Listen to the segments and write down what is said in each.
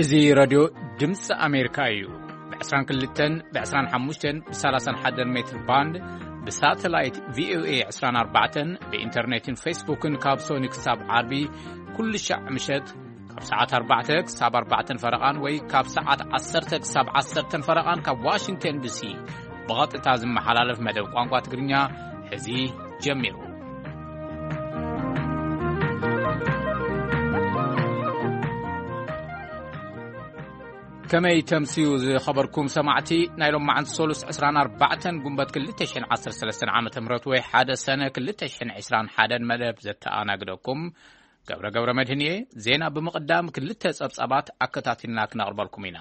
እዚ ሬድዮ ድምፂ ኣሜሪካ እዩ። ብ22፣ ብ25፣ ብ31 ሜትር ባንድ፣ ብሳተላይት ቪኦኤ 24፣ ብኢንተርኔትን ፌስቡክን ካብ ሶኒ ክሳብ ዓርቢ ኩሉ ሻዕ ምሸት ካብ ሰዓት ኣርባዕተ ክሳብ ኣርባዕተን ፈረቓን ወይ ካብ ሰዓት ዓሰርተ ክሳብ ዓሰርተን ፈረቓን ካብ ዋሽንግተን ዲሲ ብቐጥታ ዝመሓላለፍ መደብ ቋንቋ ትግርኛ ሕዚ ጀሚሩ። ከመይ ተምስዩ ዝኸበርኩም ሰማዕቲ፣ ናይ ሎማዓንቲ ሶሉስ ዕስራን ኣርባዕተን ጉንበት ክልተ ሽሕን ዓሰርተ ሰለስተን ዓመተ ምህረት ወይ ሓደ ሰነ ክልተ ሽሕን ዕስራን ሓደን መደብ ዘተኣናግደኩም ገብረ ገብረ መድህን እየ። ዜና ብምቕዳም ክልተ ጸብጻባት ኣከታቲልና ክነቕርበልኩም ኢና።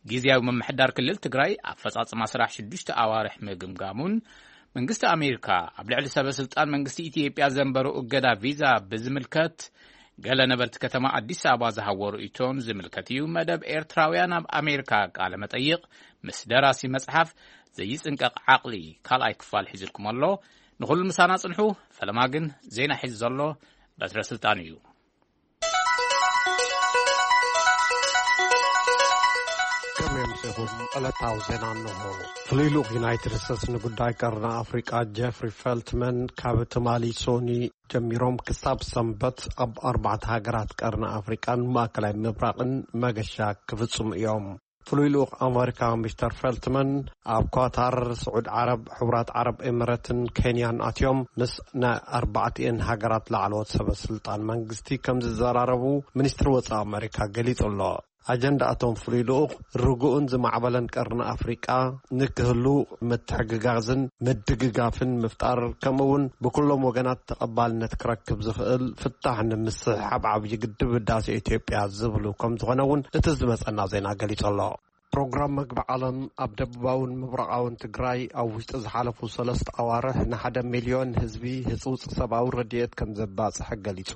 ግዝያዊ ምምሕዳር ክልል ትግራይ ኣፈጻጽማ ስራሕ ሽዱሽተ ኣዋርሕ ምግምጋሙን መንግስቲ ኣሜሪካ ኣብ ልዕሊ ሰበ ስልጣን መንግስቲ ኢትዮጵያ ዘንበሩ እገዳ ቪዛ ብዝምልከት ገለ ነበርቲ ከተማ ኣዲስ ኣበባ ዝሃቦ ርእይቶን ዝምልከት እዩ። መደብ ኤርትራውያን ኣብ ኣሜሪካ ቃለ መጠይቕ ምስ ደራሲ መጽሓፍ ዘይጽንቀቕ ዓቕሊ ካልኣይ ክፋል ሒዝልኩም ኣሎ። ንኹሉ ምሳና ጽንሑ። ፈለማ ግን ዜና ሒዙ ዘሎ በትረ ስልጣን እዩ። ከመይ ኣምሲኹም? ዕለታዊ ዜና እንሆ። ፍሉይ ልኡኽ ዩናይትድ ስቴትስ ንጉዳይ ቀርኒ ኣፍሪቃ ጀፍሪ ፈልትመን ካብ ትማሊ ሶኒ ጀሚሮም ክሳብ ሰንበት ኣብ ኣርባዕተ ሃገራት ቀርኒ ኣፍሪቃን ማእከላይ ምብራቕን መገሻ ክፍጽሙ እዮም። ፍሉይ ልኡኽ ኣሜሪካ ሚስተር ፈልትመን ኣብ ኳታር፣ ስዑድ ዓረብ፣ ሕቡራት ዓረብ ኤምረትን ኬንያን ኣትዮም ምስ ናይ ኣርባዕቲኤን ሃገራት ላዕለዎት ሰበ ስልጣን መንግስቲ ከም ዝዘራረቡ ሚኒስትሪ ወጻኢ ኣሜሪካ ገሊጹ ኣሎ። ኣጀንዳኣቶም ፍሉይ ልኡኽ ርጉእን ዝማዕበለን ቀርኒ ኣፍሪቃ ንክህሉ ምትሕግጋዝን ምድግጋፍን ምፍጣር፣ ከምኡ እውን ብኩሎም ወገናት ተቐባልነት ክረክብ ዝኽእል ፍታሕ ንምስሕሓብ ዓብዪ ግድብ ህዳሴ ኢትዮጵያ ዝብሉ ከም ዝኾነ እውን እቲ ዝመጸና ዜና ገሊጹ ኣሎ። ፕሮግራም መግቢ ዓለም ኣብ ደቡባውን ምብራቓውን ትግራይ ኣብ ውሽጢ ዝሓለፉ ሰለስተ ኣዋርሕ ንሓደ ሚልዮን ህዝቢ ህጹጽ ሰብኣዊ ረድኤት ከም ዘባጽሐ ገሊጹ።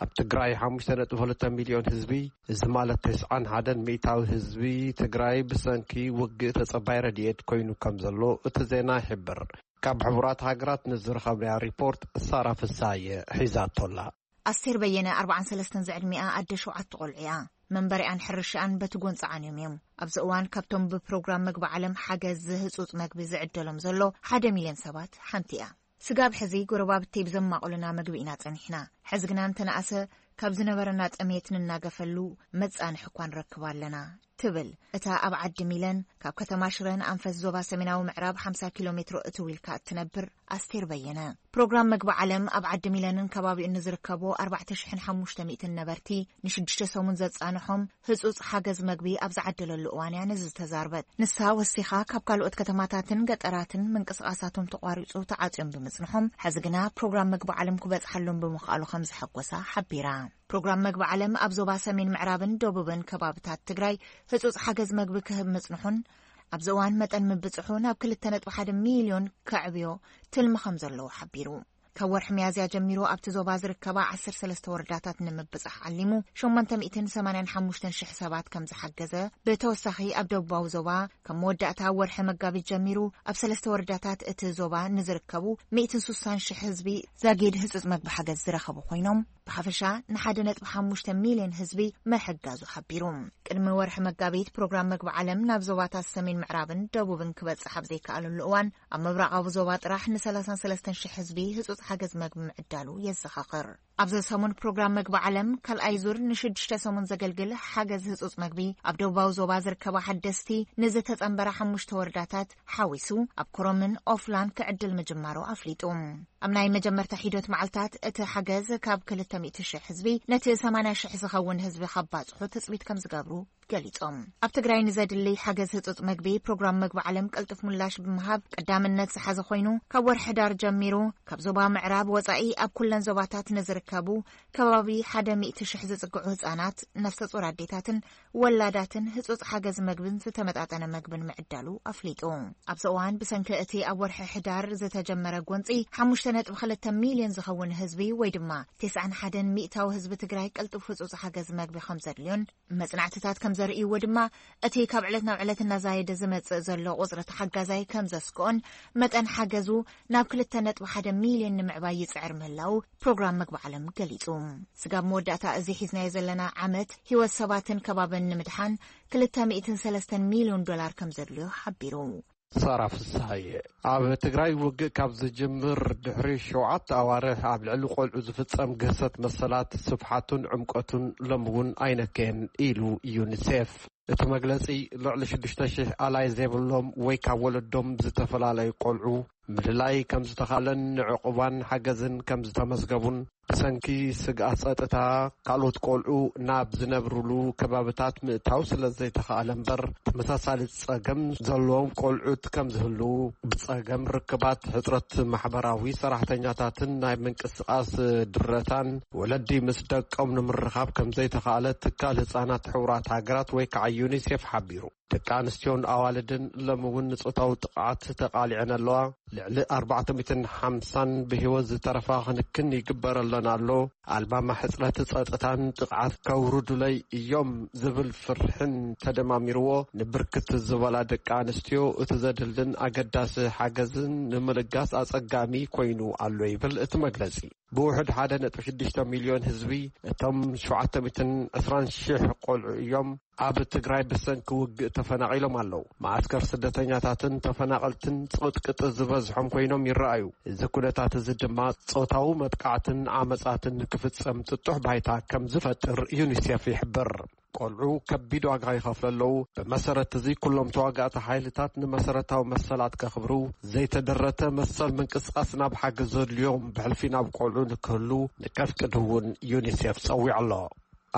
ኣብ ትግራይ ሓሙሽተ ነጥቢ ክልተ ሚልዮን ህዝቢ፣ እዚ ማለት ተስዓን ሓደን ሚእታዊ ህዝቢ ትግራይ ብሰንኪ ውግእ ተጸባይ ረድኤት ኮይኑ ከም ዘሎ እቲ ዜና ይሕብር። ካብ ሕቡራት ሃገራት ንዝረኸብናዮ ሪፖርት ሳራ ፍሳየ ሒዛቶ ኣላ። ኣስቴር በየነ፣ ኣርባዓን ሰለስተን ዝዕድሚኣ ኣደ ሸውዓተ ቆልዑ እያ። መንበሪኣን ሕርሽኣን በቲ ጎንፂ ዓንዮም እዮም። ኣብዚ እዋን ካብቶም ብፕሮግራም መግቢ ዓለም ሓገዝ ህፁፅ መግቢ ዝዕደሎም ዘሎ ሓደ ሚልዮን ሰባት ሓንቲ እያ። ስጋብ ሕዚ ጎረባብተይ ብዘማቑልና መግቢ ኢና ጸኒሕና። ሕዚ ግና እንተነኣሰ ካብ ዝነበረና ጥሜት ንናገፈሉ መጻንሒ እኳ ንረክብ ኣለና ትብል እታ ኣብ ዓዲ ሚለን ካብ ከተማ ሽረ ንኣንፈት ዞባ ሰሜናዊ ምዕራብ ሓምሳ ኪሎ ሜትሮ እትው ኢልካ እትነብር ኣስቴር በየነ። ፕሮግራም መግቢ ዓለም ኣብ ዓዲ ሚለንን ከባቢኡን ንዝርከቡ ኣርባዕተ ሽሕን ሓሙሽተ ሚእትን ነበርቲ ንሽዱሽተ ሰሙን ዘጻንሖም ህጹጽ ሓገዝ መግቢ ኣብ ዝዓደለሉ እዋን እያ ነዚ ዝተዛርበት። ንሳ ወሲኻ ካብ ካልኦት ከተማታትን ገጠራትን ምንቅስቓሳቶም ተቋሪጹ ተዓጽዮም ብምጽንሖም፣ ሕዚ ግና ፕሮግራም መግቢ ዓለም ክበጽሓሎም ብምኽኣሉ ከም ዘሐጎሳ ሓቢራ። ፕሮግራም መግቢ ዓለም ኣብ ዞባ ሰሜን ምዕራብን ደቡብን ከባብታት ትግራይ ህጹጽ ሓገዝ መግቢ ክህብ ምጽንሑን ኣብዚ እዋን መጠን ምብጽሑ ናብ ክልተ ነጥቢ ሓደ ሚልዮን ከዕብዮ ትልሚ ከም ዘለዎ ሓቢሩ። ካብ ወርሒ ሚያዝያ ጀሚሩ ኣብቲ ዞባ ዝርከባ ዓሰርተ ሰለስተ ወረዳታት ንምብጻሕ ዓሊሙ ሸሞንተ ሚእትን ሰማንያን ሓሙሽተን ሽሕ ሰባት ከም ዝሓገዘ፣ ብተወሳኺ ኣብ ደቡባዊ ዞባ ካብ መወዳእታ ወርሒ መጋቢት ጀሚሩ ኣብ ሰለስተ ወረዳታት እቲ ዞባ ንዝርከቡ ሚእትን ስሳን ሽሕ ህዝቢ ዛጊድ ህጹጽ መግቢ ሓገዝ ዝረኸቡ ኮይኖም፣ ብሓፈሻ ንሓደ ነጥቢ ሓሙሽተ ሚልዮን ህዝቢ ምሕጋዙ ሓቢሩ። ቅድሚ ወርሒ መጋቢት ፕሮግራም መግቢ ዓለም ናብ ዞባታት ሰሜን ምዕራብን ደቡብን ክበጽሕ ኣብ ዘይከኣለሉ እዋን፣ ኣብ ምብራቓዊ ዞባ ጥራሕ ን ሰላሳን ሰለስተን ሽሕ ህዝቢ ህጹጽ ሓገዝ መግቢ ምዕዳሉ የዘኻኽር። ኣብዚ ሰሙን ፕሮግራም መግቢ ዓለም ካልኣይ ዙር ንሽዱሽተ ሰሙን ዘገልግል ሓገዝ ህጹጽ መግቢ ኣብ ደቡባዊ ዞባ ዝርከባ ሓደስቲ ንዝተጸንበራ ሓሙሽተ ወረዳታት ሓዊሱ ኣብ ኮረምን ኦፍላን ክዕድል ምጅማሩ ኣፍሊጡ። ኣብ ናይ መጀመርታ ሒደት መዓልታት እቲ ሓገዝ ካብ ክልተ ሚእቲ ሽሕ ህዝቢ ነቲ ሰማንያ ሽሕ ዝኸውን ህዝቢ ከባጽሑ ትጽቢት ከም ዝገብሩ ገሊጾም። ኣብ ትግራይ ንዘድሊ ሓገዝ ህጹጽ መግቢ ፕሮግራም መግቢ ዓለም ቅልጡፍ ምላሽ ብምሃብ ቀዳምነት ዝሓዘ ኮይኑ፣ ካብ ወርሒ ሕዳር ጀሚሩ ካብ ዞባ ምዕራብ ወጻኢ ኣብ ኩለን ዞባታት ንዝርከቡ ከባቢ ሓደ ሚእቲ ሽሕ ዝጽግዑ ህጻናት፣ ነፍሰ ጾር ኣዴታትን ወላዳትን ህጹጽ ሓገዝ መግብን ዝተመጣጠነ መግብን ምዕዳሉ ኣፍሊጡ። ኣብዚ እዋን ብሰንኪ እቲ ኣብ ወርሒ ሕዳር ዝተጀመረ ጎንጺ ሓሙሽተ ነጥቢ ክልተ ሚልዮን ዝኸውን ህዝቢ ወይ ድማ ተስዓን ሓደን ሚእታዊ ህዝቢ ትግራይ ቅልጡፍ ህጹጽ ሓገዝ መግቢ ከም ዘድልዮን መጽናዕትታት ከም ዘርእይዎ ድማ፣ እቲ ካብ ዕለት ናብ ዕለት እናዛየደ ዝመጽእ ዘሎ ቁጽሪ ተሓጋዛይ ከም ዘስግኦን፣ መጠን ሓገዙ ናብ ክልተ ነጥቢ ሓደ ሚልዮን ንምዕባይ ይጽዕር ምህላው ፕሮግራም መግቢ ዓለም ገሊጹ። ስጋብ መወዳእታ እዚ ሒዝናዮ ዘለና ዓመት፣ ህይወት ሰባትን ከባብን ንምድሓን ክልተ ሚእትን ሰለስተን ሚልዮን ዶላር ከም ዘድልዮ ሓቢሩ። ሳራ ፍስሃየ። ኣብ ትግራይ ውግእ ካብ ዝጅምር ድሕሪ ሸውዓተ ኣዋርሕ፣ ኣብ ልዕሊ ቆልዑ ዝፍጸም ግህሰት መሰላት ስፍሓቱን ዕምቀቱን ሎሚ እውን ኣይነከየን ኢሉ ዩኒሴፍ። እቲ መግለጺ፣ ልዕሊ ሽዱሽተ ሺሕ ኣላይ ዘይብሎም ወይ ካብ ወለዶም ዝተፈላለዩ ቆልዑ ምልላይ ከም ዝተኻለን ንዕቑባን ሓገዝን ከም ዝተመዝገቡን፣ ብሰንኪ ስግኣት ጸጥታ ካልኦት ቆልዑ ናብ ዝነብሩሉ ከባብታት ምእታው ስለ ዘይተኻእለ እምበር፣ ተመሳሳሊ ጸገም ዘለዎም ቆልዑት ከም ዝህልዉ፣ ብጸገም ርክባት፣ ሕጽረት ማሕበራዊ ሰራሕተኛታትን ናይ ምንቅስቓስ ድረታን፣ ወለዲ ምስ ደቆም ንምርኻብ ከም ዘይተኻእለ ትካል ህጻናት ሕቡራት ሃገራት ወይ ከዓ ዩኒሴፍ ሓቢሩ። ደቂ ኣንስትዮን ኣዋልድን ሎሚ እውን ንጾታዊ ጥቕዓት ተቓሊዐን ኣለዋ። ልዕሊ ኣርባዕተ ሚእትን ሓምሳን ብህይወት ዝተረፋ ክንክን ይግበረለን ኣሎ። ኣልማማ ሕጽረት ጸጥታን ጥቕዓት ከውርዱለይ እዮም ዝብል ፍርሕን ተደማሚርዎ፣ ንብርክት ዝበላ ደቂ ኣንስትዮ እቲ ዘድልን ኣገዳሲ ሓገዝን ንምልጋስ ኣጸጋሚ ኮይኑ ኣሎ ይብል እቲ መግለጺ። ብውሕድ ሓደ ነጥቢ ሽዱሽተ ሚልዮን ህዝቢ፣ እቶም ሸውዓተ ሚእትን ዕስራን ሺሕ ቆልዑ እዮም ኣብ ትግራይ ብሰንኪ ውግእ ተፈናቒሎም ኣለዉ። መዓስከር ስደተኛታትን ተፈናቐልትን ጽቕጥቅጥ ዝበዝሖም ኮይኖም ይረኣዩ። እዚ ኩነታት እዚ ድማ ጾታዊ መጥቃዕትን ዓመጻትን ክፍጸም ጥጡሕ ባይታ ከም ዝፈጥር ዩኒሴፍ ይሕብር። ቆልዑ ከቢድ ዋጋ ይኸፍሉ ኣለዉ። ብመሰረት እዚ ኩሎም ተዋጋእቲ ሓይልታት ንመሰረታዊ መሰላት ከኽብሩ፣ ዘይተደረተ መሰል ምንቅስቓስ ናብ ሓገዝ ዘድልዮም ብሕልፊ ናብ ቆልዑ ንክህሉ ንከፍቅድ እውን ዩኒሴፍ ጸዊዑ ኣሎ።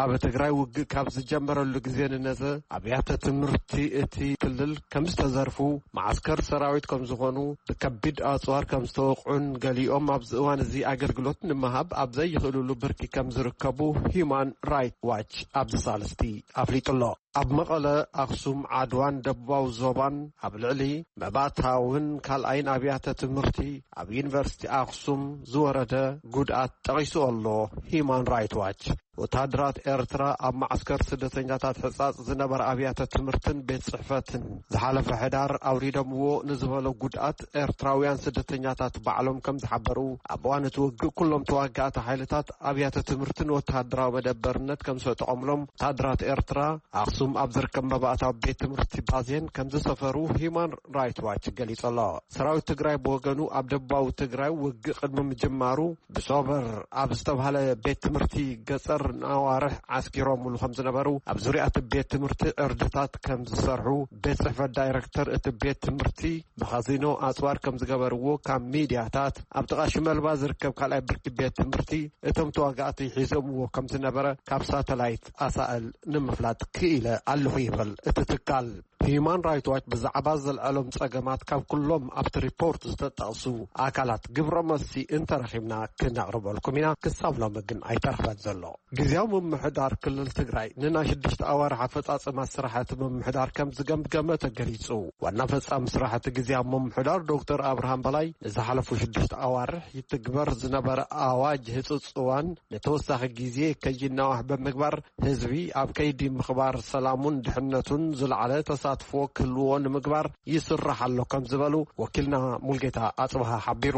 ኣብ ትግራይ ውግእ ካብ ዝጀመረሉ ግዜ ንነዘ ኣብያተ ትምህርቲ እቲ ክልል ከም ዝተዘርፉ፣ መዓስከር ሰራዊት ከም ዝኾኑ፣ ብከቢድ ኣጽዋር ከም ዝተወቕዑን ገሊኦም ኣብዚ እዋን እዚ ኣገልግሎት ንምሃብ ኣብ ዘይኽእልሉ ብርኪ ከም ዝርከቡ ሂዩማን ራይት ዋች ኣብዚ ሳልስቲ ኣፍሊጡ ኣሎ። ኣብ መቐለ፣ ኣኽሱም፣ ዓድዋን ደቡባዊ ዞባን ኣብ ልዕሊ መባእታውን ካልኣይን ኣብያተ ትምህርቲ ኣብ ዩኒቨርሲቲ ኣኽሱም ዝወረደ ጉድኣት ጠቒሱ ኣሎ ሂዩማን ራይት ዋች። ወተሃደራት ኤርትራ ኣብ መዓስከር ስደተኛታት ሕጻጽ ዝነበረ ኣብያተ ትምህርትን ቤት ጽሕፈትን ዝሓለፈ ሕዳር ኣውሪዶምዎ ንዝበሎ ጉድኣት ኤርትራውያን ስደተኛታት ባዕሎም ከም ዝሓበሩ፣ ኣብ እዋን እቲ ውግእ ኩሎም ተዋጋእቲ ሓይልታት ኣብያተ ትምህርትን ወተሃደራዊ መደበርነት ከም ዝሰጠቖምሎም ወተሃደራት ኤርትራ ኣኽሱም ኣብ ዝርከብ መባእታዊ ቤት ትምህርቲ ባዜን ከም ዝሰፈሩ ሂዩማን ራይት ዋች ገሊጹ ኣሎ። ሰራዊት ትግራይ ብወገኑ ኣብ ደቡባዊ ትግራይ ውግእ ቅድሚ ምጅማሩ ብሶበር ኣብ ዝተባህለ ቤት ትምህርቲ ገጸር ንኣዋርሕ ዓስኪሮምሉ ከም ዝነበሩ፣ ኣብ ዙርያ እቲ ቤት ትምህርቲ ዕርድታት ከም ዝሰርሑ ቤት ጽሕፈት ዳይረክተር እቲ ቤት ትምህርቲ ብካዚኖ ኣጽዋር ከም ዝገበርዎ ካብ ሚድያታት፣ ኣብ ጥቓ ሽመልባ ዝርከብ ካልኣይ ብርኪ ቤት ትምህርቲ እቶም ተዋጋእቲ ሒዞምዎ ከም ዝነበረ ካብ ሳተላይት ኣሳእል ንምፍላጥ ክኢለ ኣለኹ ይብል እቲ ትካል። ሂዩማን ራይት ዋች ብዛዕባ ዘልዐሎም ጸገማት ካብ ኩሎም ኣብቲ ሪፖርት ዝተጠቕሱ ኣካላት ግብረ መልሲ እንተረኺብና ክነቕርበልኩም ኢና። ክሳብ ሎሚ ግን ኣይተረኽበን ዘሎ። ግዝያዊ ምምሕዳር ክልል ትግራይ ንናይ ሽዱሽተ ኣዋርሕ ኣፈጻጽማ ስራሕቲ ምምሕዳር ከም ዝገምገመ ተገሊጹ። ዋና ፈጻሚ ስራሕቲ ግዝያዊ ምምሕዳር ዶክተር ኣብርሃም በላይ ንዝሓለፉ ሽዱሽተ ኣዋርሕ ይትግበር ዝነበረ ኣዋጅ ህጹጽ እዋን ንተወሳኺ ግዜ ከይናዋሕ ብምግባር ህዝቢ ኣብ ከይዲ ምኽባር ሰላሙን ድሕነቱን ዝለዓለ ተሳትፎ ክህልዎ ንምግባር ይስራሕ ኣሎ ከም ዝበሉ ወኪልና ሙልጌታ ኣጽብሃ ሓቢሩ።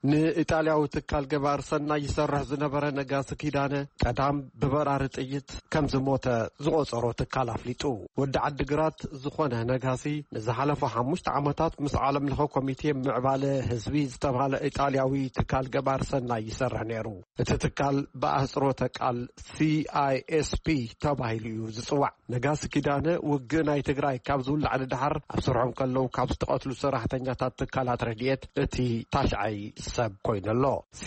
ንኢጣልያዊ ትካል ገባር ሰናይ ይሰርሕ ዝነበረ ነጋሲ ኪዳነ ቀዳም ብበራሪ ጥይት ከም ዝሞተ ዝቖጸሮ ትካል ኣፍሊጡ። ወዲ ዓዲግራት ዝኾነ ነጋሲ ንዝሓለፉ ሓሙሽተ ዓመታት ምስ ዓለም ለኸ ኮሚቴ ምዕባለ ህዝቢ ዝተባህለ ኢጣልያዊ ትካል ገባር ሰናይ ይሰርሕ ነይሩ። እቲ ትካል ብኣህጽሮተ ቃል ሲ ኣይ ኤስ ፒ ተባሂሉ እዩ ዝጽዋዕ። ነጋሲ ኪዳነ ውግእ ናይ ትግራይ ካብ ዝውላዕ ንደሓር ኣብ ስርሖም ከለዉ ካብ ዝተቐትሉ ሰራሕተኛታት ትካላት ረድኤት እቲ ታሽዓይ ሰብ ኮይኑ ኣሎ። ሲ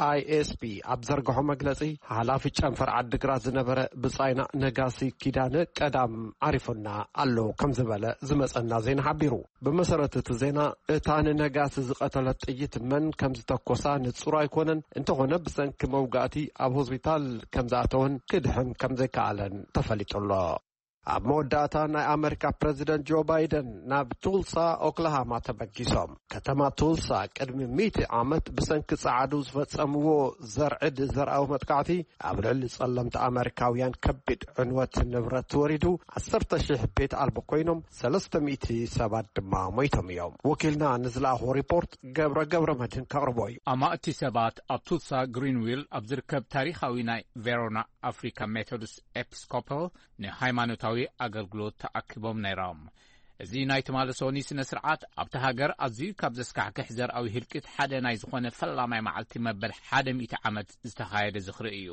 ኣይ ኤስ ፒ ኣብ ዘርግሖ መግለጺ፣ ሓላፊ ጨንፈር ዓዲግራት ዝነበረ ብጻይና ነጋሲ ኪዳነ ቀዳም ዓሪፉና ኣሎ ከም ዝበለ ዝመጸና ዜና ሓቢሩ። ብመሰረት እቲ ዜና፣ እታ ንነጋሲ ዝቐተለት ጥይት መን ከም ዝተኮሳ ንጹር ኣይኮነን። እንተኾነ፣ ብሰንኪ መውጋእቲ ኣብ ሆስፒታል ከም ዝኣተወን ክድሕን ከም ዘይከኣለን ተፈሊጡ ኣሎ። ኣብ መወዳእታ ናይ ኣመሪካ ፕረዚደንት ጆ ባይደን ናብ ቱልሳ ኦክላሃማ ተበጊሶም። ከተማ ቱልሳ ቅድሚ ሚእቲ ዓመት ብሰንኪ ጸዓዱ ዝፈጸምዎ ዘርዕድ ዘርኣዊ መጥቃዕቲ ኣብ ልዕሊ ጸለምቲ ኣመሪካውያን ከቢድ ዕንወት ንብረት ወሪዱ፣ ዓሰርተ ሺሕ ቤት ኣልቦ ኮይኖም፣ ሰለስተ ሚእቲ ሰባት ድማ ሞይቶም እዮም። ወኪልና ንዝለኣኾ ሪፖርት ገብረ ገብረ መድህን ከቕርቦ እዩ። ኣማእቲ ሰባት ኣብ ቱልሳ ግሪንዊል ኣብ ዝርከብ ታሪኻዊ ናይ ቬሮና ኣፍሪካ ሜቶዲስት ኤፒስኮፓል ንሃይማኖታዊ ኣገልግሎት ተኣኪቦም ነይሮም። እዚ ናይ ትማሊ ሶኒ ስነ ስርዓት ኣብቲ ሃገር ኣዝዩ ካብ ዘስካሕክሕ ዘርኣዊ ህልቂት ሓደ ናይ ዝኾነ ፈላማይ መዓልቲ መበል ሓደ ሚእቲ ዓመት ዝተኻየደ ዝኽሪ እዩ።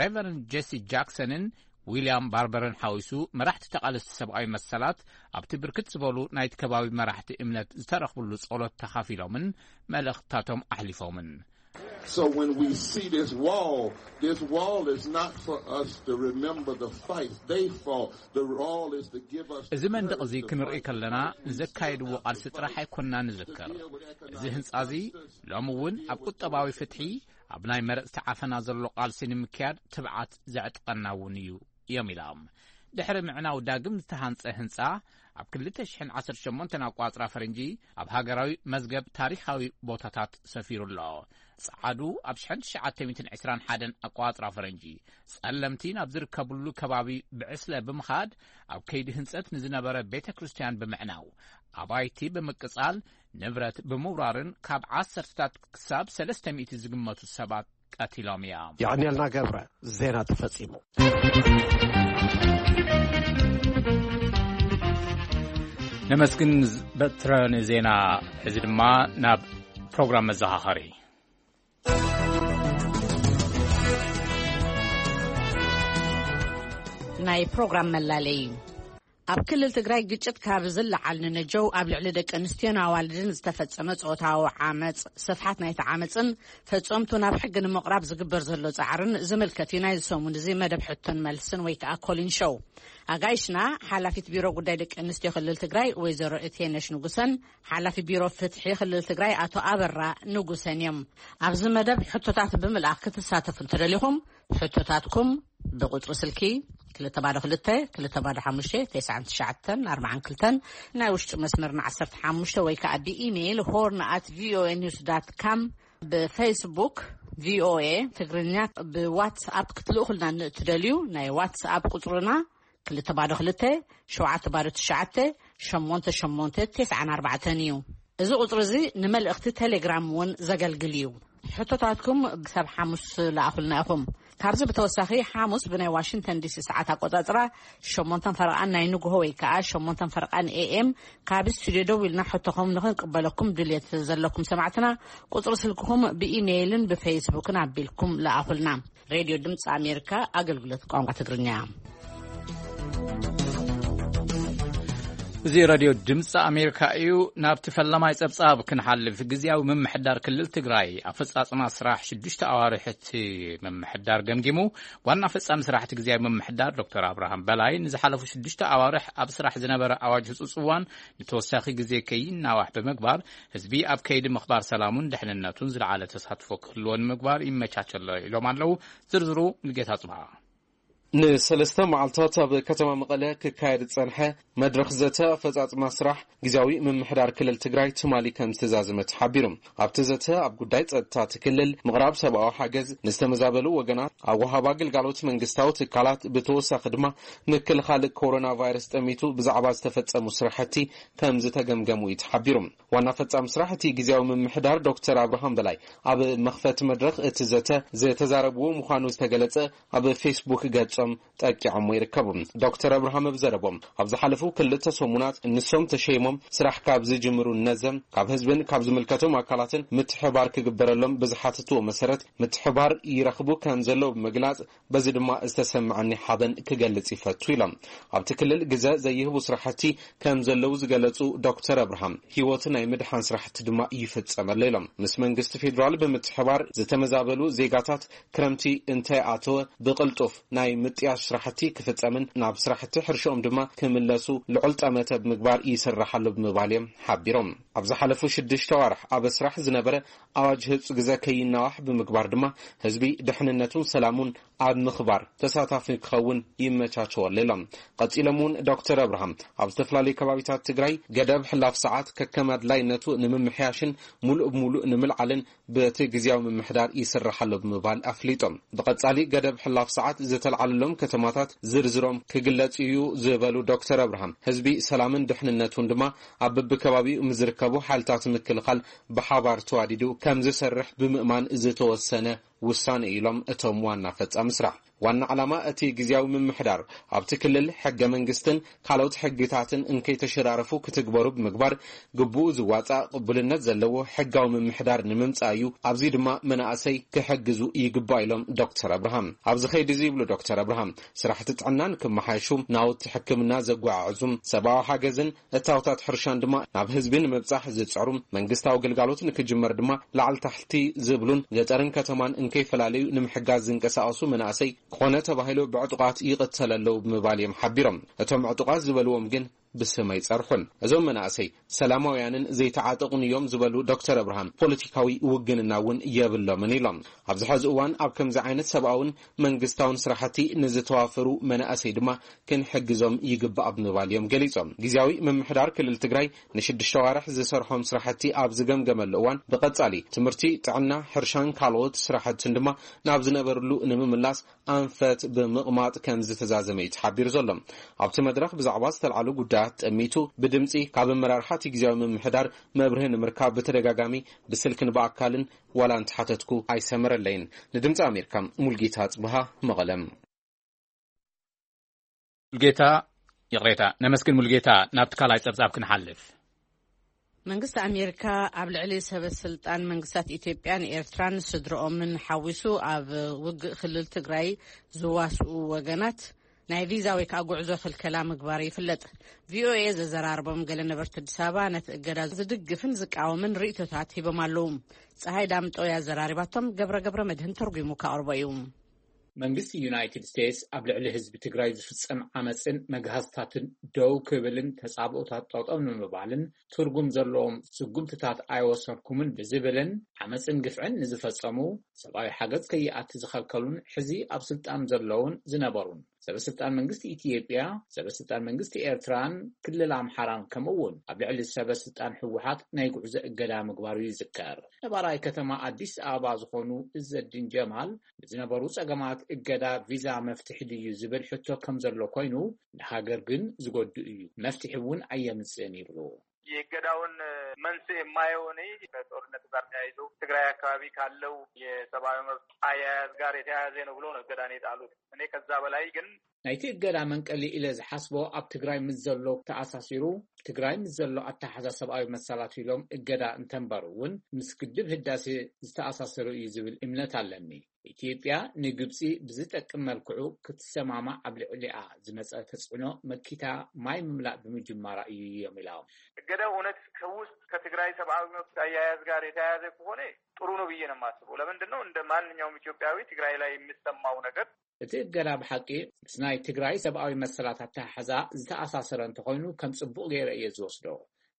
ሬቨረንድ ጄሲ ጃክሰንን ዊልያም ባርበርን ሓዊሱ መራሕቲ ተቓለስቲ ሰብኣዊ መሰላት ኣብቲ ብርክት ዝበሉ ናይቲ ከባቢ መራሕቲ እምነት ዝተረኽብሉ ጸሎት ተኻፊሎምን መልእኽትታቶም ኣሕሊፎምን። So when we see this wall, this wall is not for us to remember the fight they fought. The wall is to give us እዚ መንደቕ እዚ ክንርኢ ከለና ንዘካየድዎ ቃልሲ ጥራሕ ኣይኮንና ንዝክር። እዚ ህንጻ እዚ ሎሚ እውን ኣብ ቁጠባዊ ፍትሒ፣ ኣብ ናይ መረጽቲ ዓፈና ዘሎ ቃልሲ ንምክያድ ትብዓት ዘዕጥቀና እውን እዩ እዮም ኢሎም። ድሕሪ ምዕናው ዳግም ዝተሃንጸ ህንጻ ኣብ ክልተ ሽሕን ዓሰርተ ሸሞንተን ኣቋጽራ ፈረንጂ ኣብ ሃገራዊ መዝገብ ታሪኻዊ ቦታታት ሰፊሩ ኣሎ። ጸዓዱ ኣብ ሽሕን ትሽዓተ ሚእትን ዕስራን ሓደን ኣቋጽራ ፈረንጂ ጸለምቲ ናብ ዝርከብሉ ከባቢ ብዕስለ ብምኻድ ኣብ ከይዲ ህንጸት ንዝነበረ ቤተ ክርስቲያን ብምዕናው፣ ኣባይቲ ብምቅጻል፣ ንብረት ብምውራርን ካብ ዓሰርተታት ክሳብ ሰለስተ ሚእቲ ዝግመቱ ሰባት ቀቲሎም እዮም። የቐንየልና ገብረ፣ ዜና ተፈጺሙ። ነመስግን በትረ ንዜና። ሕዚ ድማ ናብ ፕሮግራም መዘኻኸሪ። ናይ ፕሮግራም መላለይ። ኣብ ክልል ትግራይ ግጭት ካብ ዝለዓል ንነጀው ኣብ ልዕሊ ደቂ ኣንስትዮን ኣዋልድን ዝተፈጸመ ጾታዊ ዓመጽ፣ ስፍሓት ናይቲ ዓመጽን ፈጸምቱ ናብ ሕጊ ንምቕራብ ዝግበር ዘሎ ጻዕርን ዝምልከት እዩ ናይዚ ሰሙን እዚ መደብ ሕቶን መልስን ወይ ከኣ ኮሊን ሾው። ኣጋይሽና ሓላፊት ቢሮ ጉዳይ ደቂ ኣንስትዮ ክልል ትግራይ ወይዘሮ እቴነሽ ንጉሰን ሓላፊ ቢሮ ፍትሒ ክልል ትግራይ ኣቶ ኣበራ ንጉሰን እዮም። ኣብዚ መደብ ሕቶታት ብምልኣኽ ክትሳተፉ እንተደሊኹም ሕቶታትኩም ብቁጽሪ ስልኪ ክልተ ባዶ ክልተ ክልተ ባዶ ሓሙሽተ ተስዓን ትሽዓተን ኣርባዓን ክልተን ናይ ውሽጢ መስመርና ዓሰርተ ሓሙሽተ ወይ ከዓ ብኢሜይል ሆርን ኣት ቪኦኤ ኒውስ ዳት ካም ብፌስቡክ ቪኦኤ ትግርኛ ብዋትስኣፕ ክትልእኹልና ንእትደልዩ ናይ ዋትስኣፕ ቁጽርና ክልተ ባዶ ክልተ ሸውዓተ ባዶ ትሽዓተ ሸሞንተ ሸሞንተ ተስዓን ኣርባዕተን እዩ። እዚ ቁጽሪ እዚ ንመልእኽቲ ቴሌግራም እውን ዘገልግል እዩ። ሕቶታትኩም ክሳብ ሓሙስ ለኣኹልና ኢኹም። ካብዚ ብተወሳኺ ሓሙስ ብናይ ዋሽንግተን ዲሲ ሰዓት ኣቆጻጽራ ሸሞንተን ፈረቓን ናይ ንግሆ ወይ ከዓ ሸሞንተን ፈረቓን ኤኤም ካብ ስቱዲዮ ደው ኢልና ሕቶኹም ንኽንቅበለኩም ድልየት ዘለኩም ሰማዕትና ቁጽሪ ስልክኹም ብኢሜይልን ብፌስቡክን ኣቢልኩም ለኣኹልና። ሬድዮ ድምፂ ኣሜሪካ ኣገልግሎት ቋንቋ ትግርኛ። እዚ ሬድዮ ድምፂ ኣሜሪካ እዩ። ናብቲ ፈለማይ ጸብጻብ ክንሓልፍ፣ ግዝያዊ ምምሕዳር ክልል ትግራይ ኣፈጻጽማ ስራሕ ሽዱሽተ ኣዋርሕ እቲ ምምሕዳር ገምጊሙ። ዋና ፈጻሚ ስራሕቲ ግዝያዊ ምምሕዳር ዶክተር ኣብርሃም በላይ ንዝሓለፉ ሽዱሽተ ኣዋርሕ ኣብ ስራሕ ዝነበረ ኣዋጅ ህጹጽ እዋን ንተወሳኺ ግዜ ከይናዋሕ ብምግባር ህዝቢ ኣብ ከይዲ ምኽባር ሰላሙን ድሕንነቱን ዝለዓለ ተሳትፎ ክህልዎ ንምግባር ይመቻቸ ኣሎ ኢሎም ኣለዉ። ዝርዝሩ ሙሉጌታ ጽብሃ። ንሰለስተ መዓልታት ኣብ ከተማ መቐለ ክካየድ ዝጸንሐ መድረኽ ዘተ ኣፈጻጽማ ስራሕ ግዝያዊ ምምሕዳር ክልል ትግራይ ትማሊ ከም ዝተዛዘመ ተሓቢሩ። ኣብቲ ዘተ ኣብ ጉዳይ ጸጥታ እቲ ክልል፣ ምቕራብ ሰብኣዊ ሓገዝ ንዝተመዛበሉ ወገናት፣ ኣወሃባ ግልጋሎት መንግስታዊ ትካላት፣ ብተወሳኺ ድማ ምክልኻል ኮሮና ቫይረስ ጠሚቱ ብዛዕባ ዝተፈጸሙ ስራሕቲ ከም ዝተገምገሙ እዩ ተሓቢሩ። ዋና ፈጻሚ ስራሕ እቲ ግዝያዊ ምምሕዳር ዶክተር ኣብርሃም በላይ ኣብ መኽፈቲ መድረኽ እቲ ዘተ ዝተዛረብዎ ምዃኑ ዝተገለጸ ኣብ ፌስቡክ ገጾም ጠቂዖሞ ይርከቡ። ዶክተር ኣብርሃም ኣብ ዘረቦም፣ ኣብ ዝሓለፉ ክልተ ሰሙናት ንሶም ተሸይሞም ስራሕ ካብ ዝጅምሩ ነዘም ካብ ህዝብን ካብ ዝምልከቶም ኣካላትን ምትሕባር ክግበረሎም ብዝሓተትዎ መሰረት ምትሕባር ይረኽቡ ከም ዘለዉ ብምግላጽ፣ በዚ ድማ ዝተሰምዐኒ ሓበን ክገልጽ ይፈቱ ኢሎም። ኣብቲ ክልል ግዘ ዘይህቡ ስራሕቲ ከም ዘለዉ ዝገለጹ ዶክተር ኣብርሃም፣ ህይወት ናይ ምድሓን ስራሕቲ ድማ ይፍጸም ኣሎ ኢሎም። ምስ መንግስቲ ፌዴራል ብምትሕባር ዝተመዛበሉ ዜጋታት ክረምቲ እንተይኣተወ ብቕልጡፍ ናይ ምጥያሽ ስራሕቲ ክፍጸምን ናብ ስራሕቲ ሕርሻኦም ድማ ክምለሱ ልዑል ጠመተ ብምግባር ይስራሕ ኣሎ ብምባል እዮም ሓቢሮም። ኣብ ዝሓለፉ ሽዱሽተ ዋርሕ ኣብ ስራሕ ዝነበረ ኣዋጅ ህጹ ግዘ ከይናዋሕ ብምግባር ድማ ህዝቢ ድሕንነቱን ሰላሙን ኣብ ምኽባር ተሳታፊ ክኸውን ይመቻቸወሉ ኢሎም። ቀጺሎም እውን ዶክተር ኣብርሃም ኣብ ዝተፈላለዩ ከባቢታት ትግራይ ገደብ ሕላፍ ሰዓት ከከም ኣድላይነቱ ንምምሕያሽን ሙሉእ ብሙሉእ ንምልዓልን በቲ ግዝያዊ ምምሕዳር ይስራሕ ኣሎ ብምባል ኣፍሊጦም። ብቐጻሊ ገደብ ሕላፍ ሰዓት ዝተልዓለሎም ከተማታት ዝርዝሮም ክግለጽ እዩ ዝበሉ ዶክተር ኣብርሃም፣ ህዝቢ ሰላምን ድሕንነቱን ድማ ኣብ በብከባቢኡ ምስ ዝርከቡ ሓይልታት ምክልኻል ብሓባር ተዋዲዱ ከም ዝሰርሕ ብምእማን ዝተወሰነ ውሳነ ኢሎም እቶም ዋና ፈጻሚ ስራሕ። ዋና ዓላማ እቲ ግዝያዊ ምምሕዳር ኣብቲ ክልል ሕገ መንግስትን ካልኦት ሕግታትን እንከይተሸራረፉ ክትግበሩ ብምግባር ግቡኡ ዝዋጻእ ቅቡልነት ዘለዎ ሕጋዊ ምምሕዳር ንምምጻእ እዩ። ኣብዚ ድማ መናእሰይ ክሕግዙ ይግባእ ኢሎም ዶክተር ኣብርሃም። ኣብዚ ኸይዲ እዚ ይብሉ ዶክተር ኣብርሃም፣ ስራሕቲ ጥዕና ንክመሓየሹ፣ ናውቲ ሕክምና ዘጓዓዕዙ፣ ሰብኣዊ ሓገዝን እታወታት ሕርሻን ድማ ናብ ህዝቢ ንምብጻሕ ዝጽዕሩ፣ መንግስታዊ ግልጋሎት ንክጅመር ድማ ላዕሊ ታሕቲ ዝብሉን ገጠርን ከተማን እንከይፈላለዩ ንምሕጋዝ ዝንቀሳቐሱ መናእሰይ ክኾነ ተባሂሉ ብዕጡቓት ይቕተሉ ኣለዉ ብምባል እዮም ሓቢሮም። እቶም ዕጡቓት ዝበልዎም ግን ብስም ኣይጸርሑን። እዞም መናእሰይ ሰላማውያንን ዘይተዓጠቑን እዮም ዝበሉ ዶክተር ኣብርሃም፣ ፖለቲካዊ ውግንና እውን የብሎምን ኢሎም። ኣብዚ ሕዚ እዋን ኣብ ከምዚ ዓይነት ሰብኣውን መንግስታውን ስራሕቲ ንዝተዋፈሩ መናእሰይ ድማ ክንሕግዞም ይግባእ ብምባል እዮም ገሊጾም። ግዝያዊ ምምሕዳር ክልል ትግራይ ንሽዱሽተ ዋርሕ ዝሰርሖም ስራሕቲ ኣብ ዝገምገመሉ እዋን ብቐጻሊ ትምህርቲ፣ ጥዕና፣ ሕርሻን ካልኦት ስራሕትን ድማ ናብ ዝነበርሉ ንምምላስ ኣንፈት ብምቕማጥ ከም ዝተዛዘመ እዩ ተሓቢሩ ዘሎ። ኣብቲ መድረኽ ብዛዕባ ዝተልዓሉ ጉዳያት ጠሚቱ ብድምጺ ካብ ኣመራርሓ እቲ ግዝያዊ ምምሕዳር መብርሂ ንምርካብ ብተደጋጋሚ ብስልክን ብኣካልን ዋላ እንተሓተትኩ ኣይሰመረለይን። ንድምጺ ኣሜሪካ ሙልጌታ ጽብሃ መቐለም። ሙልጌታ፣ ይቕሬታ፣ ነመስግን ሙልጌታ። ናብቲ ካልኣይ ጸብጻብ ክንሓልፍ። መንግስቲ ኣሜሪካ ኣብ ልዕሊ ሰበ ስልጣን መንግስታት ኢትዮጵያን ኤርትራን ስድርኦምን ሓዊሱ ኣብ ውግእ ክልል ትግራይ ዝዋስኡ ወገናት ናይ ቪዛ ወይ ከዓ ጉዕዞ ክልከላ ምግባሩ ይፍለጥ። ቪኦኤ ዘዘራረቦም ገለ ነበርቲ ኣዲስ ኣበባ ነቲ እገዳ ዝድግፍን ዝቃወምን ርእይቶታት ሂቦም ኣለዉ። ፀሃይ ዳምጠው ያዘራሪባቶም፣ ገብረ ገብረ መድህን ተርጉሙ ካቕርቦ እዩ። መንግስቲ ዩናይትድ ስቴትስ ኣብ ልዕሊ ህዝቢ ትግራይ ዝፍጸም ዓመፅን መግሃስታትን ደው ክብልን ተጻብኦታት ጠጠው ንምባልን ትርጉም ዘለዎም ስጉምትታት ኣይወሰድኩምን ብዝብልን ዓመፅን ግፍዕን ንዝፈጸሙ ሰብኣዊ ሓገዝ ከይኣቲ ዝኸልከሉን ሕዚ ኣብ ስልጣን ዘለውን ዝነበሩን ሰበስልጣን መንግስቲ ኢትዮጵያ፣ ሰበስልጣን መንግስቲ ኤርትራን ክልል ኣምሓራን ከምኡ እውን ኣብ ልዕሊ ሰበስልጣን ህወሓት ናይ ጉዕዞ እገዳ ምግባሩ ይዝከር። ነባራይ ከተማ ኣዲስ ኣበባ ዝኾኑ እዘዲን ጀማል ንዝነበሩ ጸገማት እገዳ ቪዛ መፍትሒ ድዩ ዝብል ሕቶ ከም ዘሎ ኮይኑ፣ ንሃገር ግን ዝጎድእ እዩ፣ መፍትሒ እውን ኣየምጽእን ይብሉ። የእገዳውን መንስኤ የማየው እኔ ከጦርነቱ ጋር ተያይዞ ትግራይ አካባቢ ካለው የሰብአዊ መብት አያያዝ ጋር የተያያዘ ነው ብሎ ነው እገዳን የጣሉት። እኔ ከዛ በላይ ግን ናይቲ እገዳ መንቀሊ ኢለ ዝሓስቦ ኣብ ትግራይ ምስ ዘሎ ተኣሳሲሩ፣ ትግራይ ምስ ዘሎ ኣተሓዛ ሰብኣዊ መሰላት ኢሎም እገዳ እንተንበሩ እውን ምስ ግድብ ህዳሴ ዝተኣሳሰሩ እዩ ዝብል እምነት ኣለኒ። ኢትዮጵያ ንግብፂ ብዝጠቅም መልክዑ ክትሰማማዕ ኣብ ልዕሊኣ ዝመፀ ተፅዕኖ መኪታ ማይ ምምላእ ብምጅማራ እዩ እዮም ኢሎም። እገዳው እውነት ከውስጥ ከትግራይ ሰብአዊ መብት አያያዝ ጋር የተያያዘ ከሆነ ጥሩ ነው ብዬ ነው የማስበው። ለምንድን ነው እንደ ማንኛውም ኢትዮጵያዊ ትግራይ ላይ የሚሰማው ነገር እቲ እገዳ ብሓቂ ምስ ናይ ትግራይ ሰብኣዊ መሰላት ኣተሓሕዛ ዝተኣሳሰረ እንተኾይኑ ከም ጽቡቕ ገይረ እየ ዝወስዶ።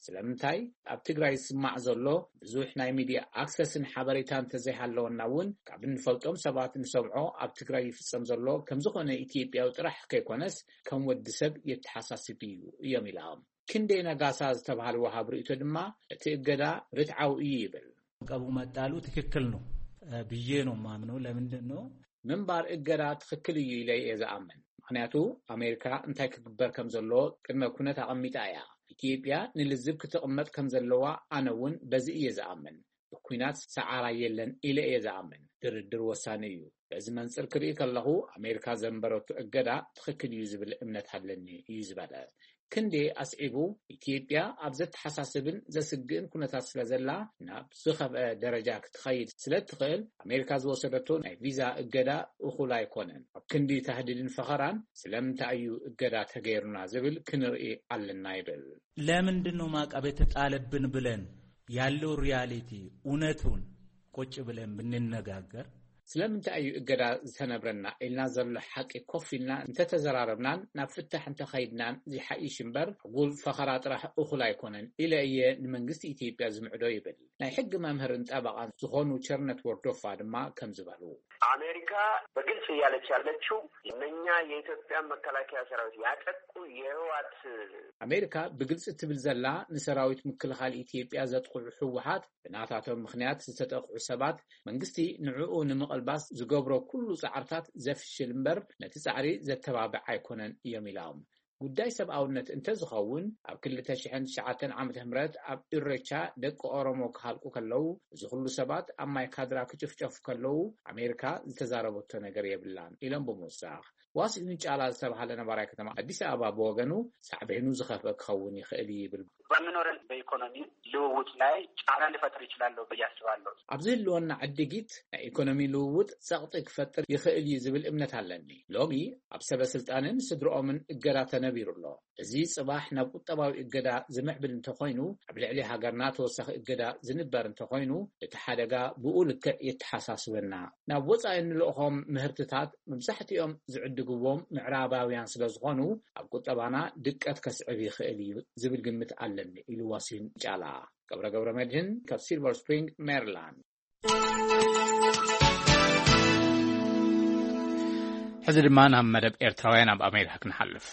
ስለምንታይ ኣብ ትግራይ ዝስማዕ ዘሎ ብዙሕ ናይ ሚድያ ኣክሰስን ሓበሬታ እንተዘይሃለወና እውን ካብ እንፈልጦም ሰባት እንሰምዖ ኣብ ትግራይ ይፍጸም ዘሎ ከምዝኾነ ኢትዮጵያዊ ጥራሕ ከይኮነስ ከም ወዲ ሰብ የተሓሳስብ እዩ እዮም ኢሎም። ክንደይ ነጋሳ ዝተባህለ ወሃብ ርእይቶ ድማ እቲ እገዳ ርትዓዊ እዩ ይብል። ቀቡ መጣሉ ትክክል ነው ብዬ ነው የማምነው። ለምንድን ነው ምንባር እገዳ ትኽክል እዩ ኢለ እየ ዝኣምን። ምኽንያቱ ኣሜሪካ እንታይ ክግበር ከም ዘለዎ ቅድመ ኩነት ኣቐሚጣ እያ። ኢትዮጵያ ንልዝብ ክትቕመጥ ከም ዘለዋ ኣነ እውን በዚ እየ ዝኣምን። ብኲናት ሰዓራ የለን ኢለ እየ ዝኣምን። ድርድር ወሳኒ እዩ። በዚ መንፅር ክርኢ ከለኹ ኣሜሪካ ዘንበረቱ እገዳ ትኽክል እዩ ዝብል እምነት ኣለኒ እዩ ዝበለ። ክንዴ ኣስዒቡ፣ ኢትዮጵያ ኣብ ዘተሓሳስብን ዘስግእን ኩነታት ስለ ዘላ ናብ ዝኸፍአ ደረጃ ክትኸይድ ስለ እትኽእል ኣሜሪካ ዝወሰደቶ ናይ ቪዛ እገዳ እኹል ኣይኮነን። ኣብ ክንዲ ታህዲድን ፈኸራን ስለምንታይ እዩ እገዳ ተገይሩና ዝብል ክንርኢ ኣለና ይብል። ለምንድን ነው ማዕቀብ የተጣለብን ብለን ያለው ሪያሊቲ እውነቱን ቁጭ ብለን ብንነጋገር ስለምንታይ እዩ እገዳ ዝተነብረና ኢልና ዘሎ ሓቂ ኮፍ ኢልና እንተተዘራረብናን ናብ ፍታሕ እንተኸይድናን ዝሓይሽ እምበር፣ ዕጉል ፈኸራ ጥራሕ እኹል ኣይኮነን ኢለ እየ ንመንግስቲ ኢትዮጵያ ዝምዕዶ ይብል። ናይ ሕጊ መምህርን ጠበቓን ዝኾኑ ቸርነት ወርዶፋ ድማ ከም ዝበሉ። አሜሪካ በግልጽ እያለች ያለችው እነኛ የኢትዮጵያ መከላከያ ሰራዊት ያጠቁ የህወሓት ኣሜሪካ ብግልጺ ትብል ዘላ፣ ንሰራዊት ምክልኻል ኢትዮጵያ ዘጥቕዑ ህወሓት ብናታቶም ምኽንያት ዝተጠቕዑ ሰባት መንግስቲ ንዕኡ ንምቕልባስ ዝገብሮ ኩሉ ጻዕርታት ዘፍሽል እምበር ነቲ ጻዕሪ ዘተባብዕ ኣይኮነን እዮም ኢሎም። ጉዳይ ሰብኣውነት እንተዝኸውን ኣብ ክልተ ሽሕን ትሽዓተን ዓመተ ምህረት ኣብ ኢሬቻ ደቂ ኦሮሞ ክሃልቁ ከለዉ፣ እዚ ኩሉ ሰባት ኣብ ማይ ካድራ ክጭፍጨፉ ከለዉ ኣሜሪካ ዝተዛረበቶ ነገር የብላን ኢሎም ብምውሳኽ፣ ዋሲሁን ጫላ ዝተባሃለ ነባራይ ከተማ ኣዲስ ኣበባ ብወገኑ ሳዕቤኑ ዝኸፍአ ክኸውን ይኽእል እዩ ይብል። በምኖረን በኢኮኖሚ ልውውጥ ላይ ጫና ሊፈጥር ይችላለሁ ብዬ አስባለሁ። ኣብ ዝህልወና ዕድጊት ናይ ኢኮኖሚ ልውውጥ ጸቕጢ ክፈጥር ይኽእል እዩ ዝብል እምነት ኣለኒ። ሎሚ ኣብ ሰበ ስልጣንን ስድርኦምን እገዳ ተነቢሩ ኣሎ። እዚ ጽባሕ ናብ ቁጠባዊ እገዳ ዝምዕብል እንተኾይኑ፣ ኣብ ልዕሊ ሃገርና ተወሳኺ እገዳ ዝንበር እንተኾይኑ፣ እቲ ሓደጋ ብኡ ልክዕ የተሓሳስበና። ናብ ወጻኢ እንልእኾም ምህርትታት መብዛሕትኦም ዝዕድግዎም ምዕራባውያን ስለ ዝኾኑ፣ ኣብ ቁጠባና ድቀት ከስዕብ ይኽእል እዩ ዝብል ግምት ኣለኒ ኢሉ ዋሲሁን ጫላ። ገብረ ገብረ መድህን ካብ ሲልቨር ስፕሪንግ ሜሪላንድ። ሕዚ ድማ ናብ መደብ ኤርትራውያን ኣብ ኣሜሪካ ክንሓልፍ።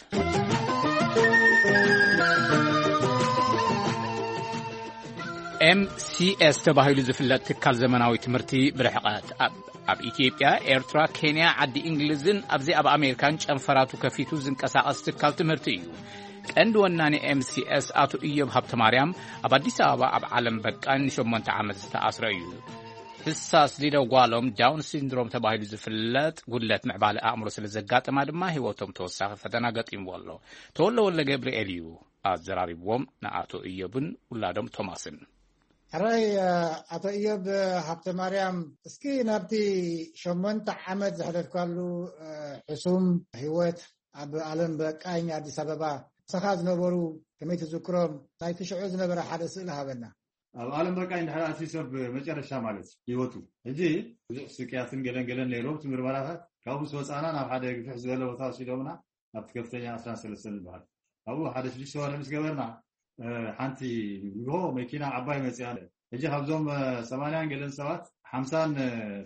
ኤምሲኤስ ተባሂሉ ዝፍለጥ ትካል ዘመናዊ ትምህርቲ ብርሕቐት ኣብ ኣብ ኢትዮጵያ፣ ኤርትራ፣ ኬንያ፣ ዓዲ እንግሊዝን ኣብዚ ኣብ ኣሜሪካን ጨንፈራቱ ከፊቱ ዝንቀሳቐስ ትካል ትምህርቲ እዩ። ቀንዲ ወናኒ ኤምሲኤስ ኣቶ ኢዮብ ሃብተማርያም ኣብ ኣዲስ ኣበባ ኣብ ዓለም በቃ ንሸሞንተ ዓመት ዝተኣስረ እዩ። ሕሳስ ሊደው ጓሎም ዳውን ሲንድሮም ተባሂሉ ዝፍለጥ ጉድለት ምዕባለ ኣእምሮ ስለ ዘጋጠማ ድማ ህይወቶም ተወሳኺ ፈተና ገጢምዎ ኣሎ። ተወልደ ወልደ ገብርኤል እዩ ኣዘራሪብዎም ንኣቶ ኢዮብን ውላዶም ቶማስን። ሕራይ ኣቶ ኢዮብ ሃብተ ማርያም፣ እስኪ ናብቲ ሸሞንተ ዓመት ዘሕለፍካሉ ሕሱም ህይወት ኣብ ዓለም በቃኝ ኣዲስ ኣበባ ምሳኻ ዝነበሩ ከመይ ትዝክሮም? ናይቲ ሽዑ ዝነበረ ሓደ ስእሊ ሃበና። ኣብ ዓለም በቃኝ ድሕሪ ኣትዩ ሰብ መጨረሻ ማለት ህይወቱ፣ ሕጂ ብዙሕ ስቅያትን ገለን ገለን ነይሩ። ኣብቲ ምርመራታት ካብኡ ምስ ወፃእና ናብ ሓደ ግፍሕ ዝበለ ቦታ ወሲዶምና፣ ኣብቲ ከፍተኛ ዕስራን ሰለስተን ዝበሃል ኣብኡ ሓደ ሽዱሽተ ወርሒ ምስ ገበርና፣ ሓንቲ ንግሆ መኪና ዓባይ መፅያ። ሕጂ ካብዞም ሰማንያን ገለን ሰባት ሓምሳን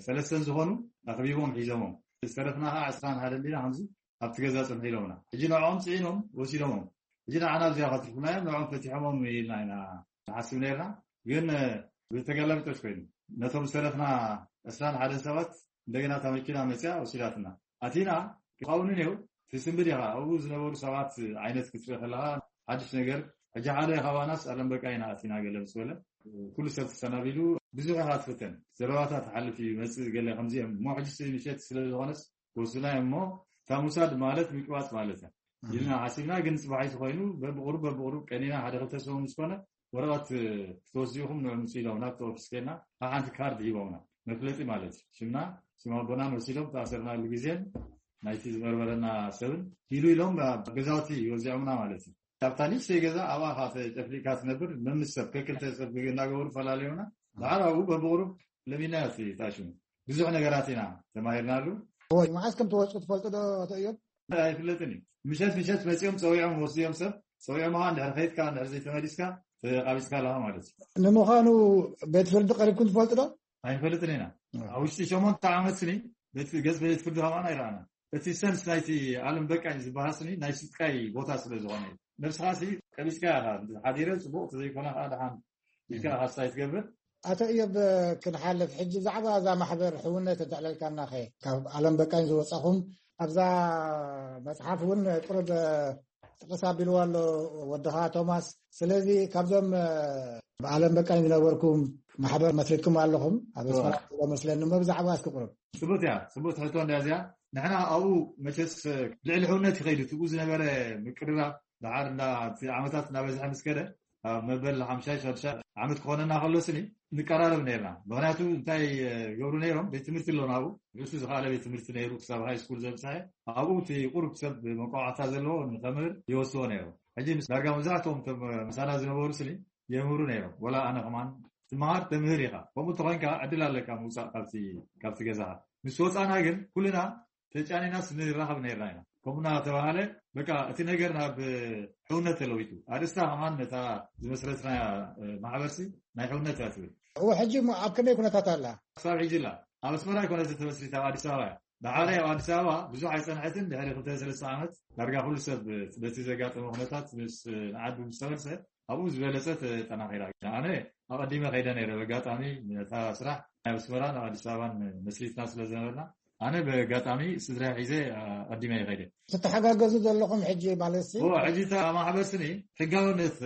ሰለስተን ዝኾኑ ኣኽቢቦም ሒዞሞም፣ ዝተረፍና ከዓ ዕስራን ሓደን ዲና ከምዚ ኣብቲ ገዛ ፅንሑ ኢሎምና። ሕጂ ንዕኦም ፅዒኖም ወሲዶሞም። ሕጂ ንዓና ኣብዚኣ ከትርፉና እዮም፣ ንዕኦም ፈቲሖሞም ኢልና ኢና ንሓስብ ነርና። ግን ብተገላቢጦሽ ኮይኑ ነቶም ዝተረፍና ዕስራን ሓደን ሰባት እንደገና እታ መኪና መፅያ ወሲዳትና። ኣቲና ካብኡ ንኔው ትስንብድ ኢኻ። ኣብኡ ዝነበሩ ሰባት ዓይነት ክትርኢ ከለኻ ሓድሽ ነገር። ሕጂ ሓደ ካባናስ ኣለም በቃ ኢና ኣቲና ገለ ምስ በለ፣ ኩሉ ሰብ ተሰናቢዱ። ብዙሕ ኢኻ ትፍተን፣ ዘረባታት ትሓልፍ እዩ መፅእ ገለ ከምዚኦም እሞ፣ ሕጂ ምሸት ስለ ዝኾነስ ወስድና እዮም እሞ፣ እታ ምውሳድ ማለት ምቅባፅ ማለት እያ ኢልና ሓሲብና። ግን ፅባሒቲ ኮይኑ በብቁሩብ በብቁሩብ ቀኒና ሓደ ክልተ ሰሙን ምስ ኮነ ወረቐት ክትወስዱ ኢኹም ንዕምፁ ኢሎም ናብቲ ኦፊስ ከና ሓንቲ ካርድ ሂቦምና፣ መፍለጢ ማለት እዩ። ሽምና፣ ሽም ኣቦናን ወሲዶም ተኣሰርናሉ ግዜን ናይቲ ዝመርመረና ሰብን ሂሉ ኢሎም ኣብ ገዛውቲ ወዚዖምና ማለት እዩ። ካብታ ንእሽተይ ገዛ ኣብኣ ኻ ተጨፍሊቅካ ትነብር፣ መምስ ሰብ ከክልተ ሰብ እናገበሩ ፈላለዩና። ድሓር ኣብኡ በብቁሩብ ለሚና እቲ ታሽሙ ብዙሕ ነገራት ኢና ተማሂርናሉ። እወ፣ መዓስ ከም ትወፁ ትፈልጡ ዶ ኣቶ እዮም? ኣይፍለጥን እዩ። ምሸት ምሸት መፂኦም ፀዊዖም ወስድዮም ሰብ ፀዊዖም ኻ እንድሕር ከይድካ እንድሕር ዘይተመሊስካ ተቃቢፅካ ኣለኻ ማለት እዩ። ንምዃኑ ቤት ፍርዲ ቀሪብኩም ትፈልጡ ዶ? ኣይንፈልጥን ኢና። ኣብ ውሽጢ ሸሞንተ ዓመት ስኒ ቤት ገጽ ቤት ፍርዲ ከማን ኣይረኣና። እቲ ሰንስ ናይቲ ዓለም በቃኝ ዝበሃል ስኒ ናይ ስቃይ ቦታ ስለ ዝኾነ እዩ። ነብስኻ ሲ ቀቢፅካ ኢኻ፣ ሓዲረ ፅቡቕ ተዘይኮነ ከዓ ደሓን ኢልካ ሓሳይ ትገብር። ኣቶ እዮብ ክንሓልፍ ሕጂ ብዛዕባ እዛ ማሕበር ሕውነት እንተዕለልካና ኸ ካብ ዓለም በቃኝ ዝወፃኹም ኣብዛ መፅሓፍ እውን ቁሩብ ጥቅስ ኣቢልዋ ኣሎ ወድኻ ቶማስ። ስለዚ ካብዞም ብዓለም በቃኝ ዝነበርኩም ማሕበር መስሪትኩም ኣለኹም ኣብ ስፈራ መስለኒ እሞ ብዛዕባ እስኪ ቁሩብ። ጽቡት እያ፣ ጽቡት ሕቶ እንዳ እዚኣ። ንሕና ኣብኡ መቸስ ልዕሊ ሕውነት ይኸይዱ ትብኡ ዝነበረ ምቅርራብ ደሓር እንዳ እቲ ዓመታት እናበዝሐ ምስ ከደ ኣብ መበል ሓምሻይ ሻድሻይ ዓመት ክኾነና ከሎ ስኒ ንቀራረብ ነርና። ምኽንያቱ እንታይ ገብሩ ነይሮም፣ ቤት ትምህርቲ ኣሎ ናብኡ፣ ርእሱ ዝኸኣለ ቤት ትምህርቲ ነይሩ ክሳብ ሃይ ስኩል ዘብፅሐ። ኣብኡ እቲ ቁሩብ ሰብ መቋዕታ ዘለዎ ንኸምህር ይወስዎ ነይሩ። ሕጂ ምስ ዳርጋ መብዛሕትኦም እቶም ምሳና ዝነበሩ ስኒ የምህሩ ነይሮም። ወላ ኣነ ከማን ትመሃር ተምህር ኢኻ። ከምኡ እንተኾይንካ ዕድል ኣለካ ምውፃእ ካብቲ ካብቲ ገዛኻ። ምስ ወፃና ግን ኩልና ተጫኒናስ ንራኸብ ነርና ኢና። ከምኡ እናተባሃለ በቃ እቲ ነገር ናብ ሕውነት ተለዊጡ። ኣርእስታ ከማን ነታ ዝመስረትና ማሕበርሲ ናይ ሕውነት እያ ትብል። እዎ፣ ሕጂ እሞ ኣብ ከመይ ኩነታት ኣላ? ክሳብ ሕጂ ላ ኣብ ኣስመራ ኣይኮነትን ተመስሪታ፣ ኣብ ኣዲስ ኣበባ እያ። ዳሓር ኣብ ኣዲስ ኣበባ ብዙሕ ኣይፀንሐትን፣ ድሕሪ ክልተ ሰለስተ ዓመት ዳርጋ ኩሉ ሰብ በቲ ዘጋጠመ ኩነታት ምስ ንዓዱ ምስ ተመልሰ ኣብኡ ዝበለፀ ተጠናኺራ። ኣነ ኣቐዲመ ከይደ ነይረ። በጋጣሚ ነታ ስራሕ ናይ ኣስመራን ኣብ ኣዲስ ኣበባን መስሪትና ስለ ዝነበርና ኣነ በጋጣሚ ስድራ ሒዘ ኣቐዲመ ይኸይደ። ትተሓጋገዙ ዘለኹም ሕጂ ማለት ሲ? እዎ፣ ሕጂ እታ ማሕበር ስኒ ሕጋውነት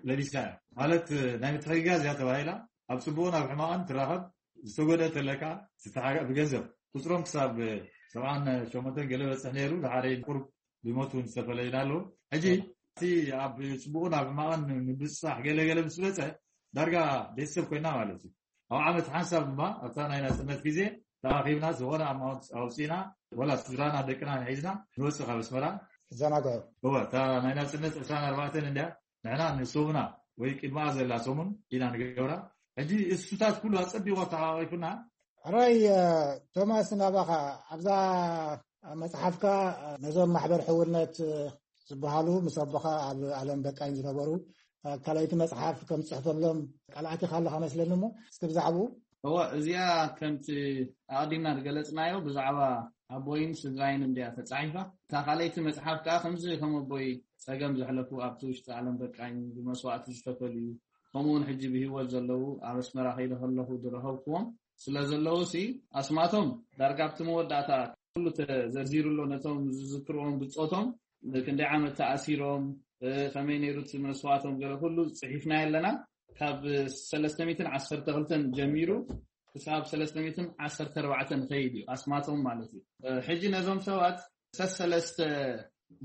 ለቢሳ እያ። ማለት ናይ ምትሕግጋዝ እያ ተባሂላ። ኣብ ፅቡቕን ኣብ ሕማቕን ትራኸብ። ዝተጎደእ ተለካ ብገንዘብ ቁፅሮም ክሳብ ሰብዓን ሸሞንተን ገለ በፅሕ ነይሩ። ድሓረይ ቁሩብ ብሞት እውን ዝተፈለዩና ኣለዉ። ሕጂ እቲ ኣብ ፅቡቕን ኣብ ሕማቕን ምብፅፃሕ ገለገለ ምስ በፀ ዳርጋ ቤተሰብ ኮይና ማለት እዩ። ኣብ ዓመት ሓንሳብ ድማ ኣብታ ናይ ናፅነት ግዜ ተኣኺብና ዝኾነ ኣማውንት ኣውፂና ወላ ስድራና ደቅና ሒዝና ንወፅእ ካብ ኣስመራ። ዘናግዑ። እወ፣ እታ ናይ ናፅነት ዕስራን ኣርባዕተን እንድያ ንሕና ንሶምና ወይ ቅድማኣ ዘላ ሰሙን ኢና ንገብራ። ሕጂ እሱታት ኩሉ ኣፀቢቑ ኣተሓቋቂፉና። ሕራይ ቶማስ፣ ናባኻ ኣብዛ መፅሓፍካ ነዞም ማሕበር ሕውነት ዝበሃሉ ምስ ኣቦኻ ኣብ ዓለም በቃኝ ዝነበሩ ካልኣይቲ መፅሓፍ ከም ትፅሕፈሎም ቃል ኣቲኻ ኣለኻ መስለኒ። እሞ እስኪ ብዛዕባኡ። እወ፣ እዚኣ ከምቲ ኣቐዲምና ዝገለፅናዮ ብዛዕባ ኣቦይን ስድራይን እንድያ ተፃሒፋ። እታ ካልኣይቲ መፅሓፍ ከዓ ከምዚ ከም ኣቦይ ፀገም ዘሕለፉ ኣብቲ ውሽጢ ዓለም በቃኝ ብመስዋእቲ ዝተፈልዩ ከምኡውን ሕጂ ብህይወት ዘለዉ ኣብ ኣስመራ ከይደ ከለኹ ዝረኸብኩዎም ስለ ዘለዉ ሲ ኣስማቶም ዳርጋ ኣብቲ መወዳእታ ኩሉ ተዘርዚሩ ኣሎ። ነቶም ዝዝክርዎም ብፆቶም ክንደይ ዓመት ተኣሲሮም ከመይ ነይሩ እቲ መስዋእቶም ገለ ኩሉ ፅሒፍና ኣለና። ካብ ሰለስተ ሚእትን ዓሰርተ ክልተን ጀሚሩ ክሳብ ሰለስተ ሚእትን ዓሰርተ ኣርባዕተን ኸይድ እዩ ኣስማቶም ማለት እዩ። ሕጂ ነዞም ሰባት ሰሰለስተ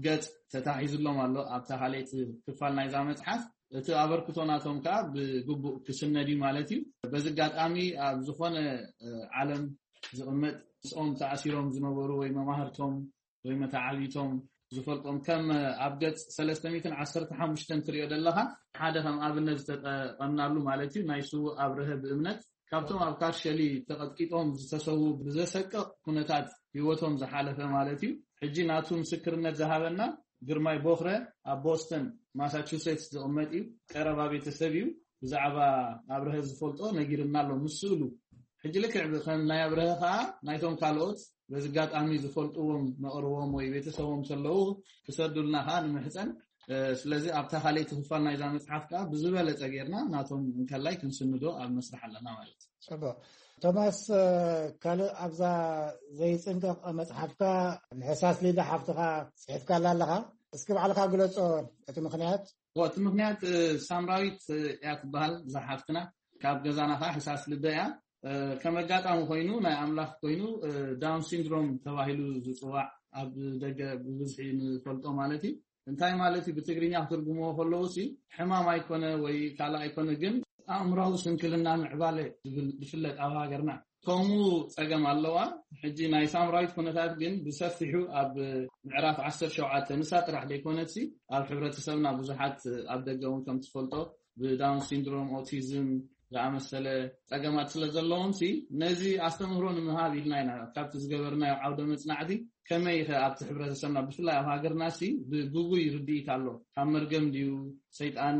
ገጽ ተታሒዝሎም ኣሎ ኣብታ ካልኣይቲ ክፋል ናይዛ መጽሓፍ። እቲ ኣበርክቶ ናቶም ከኣ ብግቡእ ክስነድ እዩ ማለት እዩ። በዚ ኣጋጣሚ ኣብ ዝኾነ ዓለም ዝቕመጥ ምስኦም ተኣሲሮም ዝነበሩ ወይ መማህርቶም ወይ መተዓብይቶም ዝፈልጦም ከም ኣብ ገጽ ሰለስተ ሚእትን ዓሰርተ ሓሙሽተን ትሪኦ ዘለኻ ሓደ ከም ኣብነት ዝተጠቐምናሉ ማለት እዩ ናይ ስዉእ ኣብርሀ ብእምነት ካብቶም ኣብ ካርሸሊ ተቐጥቂጦም ዝተሰዉ ብዘሰቅቕ ኩነታት ህይወቶም ዝሓለፈ ማለት እዩ። ሕጂ ናቱ ምስክርነት ዝሃበና ግርማይ ቦኽረ ኣብ ቦስተን ማሳቹሴትስ ዝቕመጥ እዩ። ቀረባ ቤተሰብ እዩ። ብዛዕባ ኣብርሀ ዝፈልጦ ነጊርና ኣሎ ምስ ስእሉ። ሕጂ ልክዕ ከም ናይ ኣብርሀ ከዓ ናይቶም ካልኦት በዚ ኣጋጣሚ ዝፈልጥዎም መቕርቦም ወይ ቤተሰቦም ከለዉ ክሰዱልና ከዓ ንምሕፀን። ስለዚ ኣብታ ካልኣይቲ ክፋል ናይዛ መፅሓፍ ከዓ ብዝበለፀ ጌርና ናቶም እንከላይ ክንስንዶ ኣብ መስርሕ ኣለና ማለት እዩ። ፅቡቅ። ቶማስ፣ ካልእ ኣብዛ ዘይፅንቀቕ መፅሓፍካ ንሕሳስ ሊዳ ሓፍትኻ ፅሒፍካላ ኣለኻ። እስኪ ባዕልካ ግለፆ እቲ ምክንያት። እቲ ምክንያት ሳምራዊት እያ ትበሃል እዛ ሓፍትና። ካብ ገዛና ከዓ ሕሳስ ልደ እያ። ከም ኣጋጣሚ ኮይኑ ናይ ኣምላኽ ኮይኑ ዳውን ሲንድሮም ተባሂሉ ዝፅዋዕ ኣብ ደገ ብብዝሒ ንፈልጦ ማለት እዩ። እንታይ ማለት እዩ ብትግርኛ ክትርጉምዎ ከለዉ ሲ ሕማም ኣይኮነ ወይ ካልእ ኣይኮነ ግን ኣእምራዊ ስንክልና ምዕባለ ዝብል ዝፍለጥ ኣብ ሃገርና ከምኡ ፀገም ኣለዋ። ሕጂ ናይ ሳምራዊት ኩነታት ግን ብሰፊሑ ኣብ ምዕራፍ ዓሰርተ ሸውዓተ ንሳ ጥራሕ ዘይኮነትሲ ኣብ ሕብረተሰብና ብዙሓት ኣብ ደገ እውን ከም ትፈልጦ ብዳውን ሲንድሮም ኦቲዝም ዝኣመሰለ ፀገማት ስለ ዘለዎም ሲ ነዚ ኣስተምህሮ ንምሃብ ኢልና ኢና ካብቲ ዝገበርናዮ ዓውደ መፅናዕቲ ከመይ ከ ኣብቲ ሕብረተሰብና ብፍላይ ኣብ ሃገርና ሲ ብግጉይ ርድኢት ኣሎ ካብ መርገም ድዩ ሰይጣን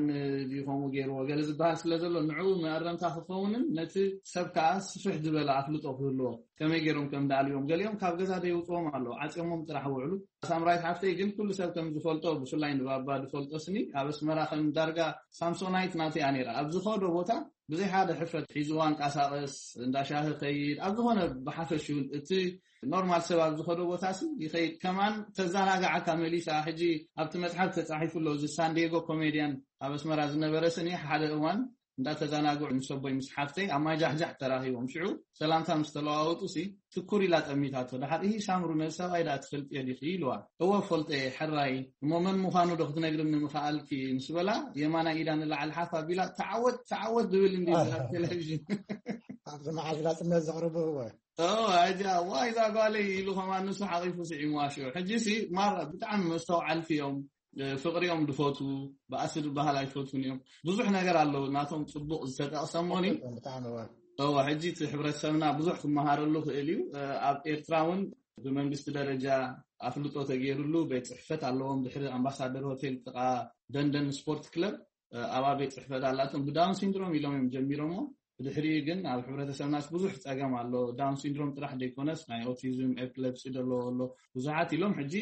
ድዩ ከምኡ ገይርዎ ገለ ዝበሃል ስለ ዘሎ ንዕኡ መእረምታ ክኸውንን ነቲ ሰብ ከዓ ስፍሕ ዝበለ ኣፍልጦ ክህልዎ ከመይ ገይሮም ከም ደኣልዮም ገሊኦም ካብ ገዛ ደይውፅዎም ኣለዉ ዓፅዮሞም ጥራሕ ውዕሉ። ሳምራዊት ሓፍተይ ግን ኩሉ ሰብ ከም ዝፈልጦ ብፍላይ ንባባ ዝፈልጦ ስኒ ኣብ ኣስመራ ከም ዳርጋ ሳምሶናይት ናተይ እያ ነይራ ኣብ ዝኸዶ ቦታ ብዘይ ሓደ ሕፍረት ሒዝዋ እንቃሳቐስ እንዳሻሂ ከይድ ኣብ ዝኾነ ብሓፈሽውን እቲ ኖርማል ሰብ ኣብ ዝኸዶ ቦታ ሲ ይኸይድ ከማን ተዘናግዓካ መሊሳ። ሕጂ ኣብቲ መፅሓፍ ተፃሒፉ ኣሎ እዚ ሳንዲየጎ ኮሜድያን ኣብ ኣስመራ ዝነበረ ስኒ ሓደ እዋን እንዳተዘናግዑ ምስ ኣቦይ ምስ ሓፍተይ ኣብ ማይ ጃሕጃሕ ተራኺቦም ሽዑ ሰላምታ ምስ ተለዋወጡ ሲ ትኩር ኢላ ጠሚታቶ። ደሓር እሂ ሳምሩ ነዚ ሰብኣይ ደኣ ትፈልጥዮ ዲኺ ኢልዋ። እወ እፈልጦ እየ ሕራይ እሞ መን ምዃኑ ዶ ክትነግርኒ ምኸኣልኪ ምስ በላ የማናይ ኢዳ ንላዕሊ ሓፍ ኣቢላ ተዓወት ተዓወት ዝብል እንዲ ኣብ ቴሌቪዥን ኣብቲ መዓዝ ናፅነት ዘቕርቡ እወ። ኣጃ ዋይ እዛ ጓለይ ኢሉ ከማን ንሱ ሓቒፉ ስዒምዋ ሽዑ። ሕጂ ሲ ማራ ብጣዕሚ መስተውዓልቲ እዮም። ፍቕሪ እዮም ዝፈትዉ፣ ባእሲ ዝበሃል ኣይፈትዉን እዮም። ብዙሕ ነገር ኣለዉ ናቶም ጽቡቕ ዝተጠቕሰ እሞኒ። ብጣዕሚ እወ። እወ፣ ሕጂ እቲ ሕብረተሰብና ብዙሕ ክመሃረሉ ክእል እዩ። ኣብ ኤርትራ እውን ብመንግስቲ ደረጃ ኣፍልጦ ተገይሩሉ ቤት ጽሕፈት ኣለዎም። ድሕሪ ኣምባሳደር ሆቴል ጥቓ ደንደን ስፖርት ክለብ ኣብኣ ቤት ጽሕፈት ኣላቶም። ብዳውን ሲንድሮም ኢሎም እዮም ጀሚሮሞ። ብድሕሪኡ ግን ኣብ ሕብረተሰብናስ ብዙሕ ጸገም ኣሎ። ዳውን ሲንድሮም ጥራሕ ዘይኮነስ ናይ ኦቲዝም፣ ኤፕለፕሲ ዘለዎ ኣሎ። ብዙሓት ኢሎም ሕጂ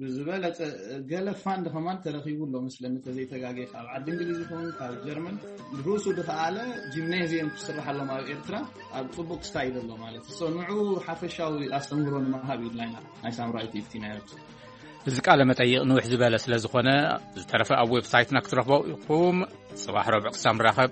ብዝበለጸ ገለ ፋንድ ከማን ተረኺቡ ኣሎ መስለኒ፣ ተዘይተጋጌ ካብ ዓዲ እንግሊዝ ይኸውን ካብ ጀርመን ርሱ ድኸኣለ ጂምኔዚየም ክስርሓሎም ኣብ ኤርትራ ኣብ ጽቡቅ ስታይል ኣሎ ማለት እዩ። ንዑ ሓፈሻዊ ኣስተምህሮ ንምሃብ ኢልና ኢና ናይ ሳምራዊት ኢፍቲ ናይ ኤርትራ። እዚ ቃለ መጠይቕ ንውሕ ዝበለ ስለ ዝኾነ ዝተረፈ ኣብ ዌብሳይትና ክትረኽቦ ኢኹም። ጽባሕ ረብዕ ክሳብ ንራኸብ።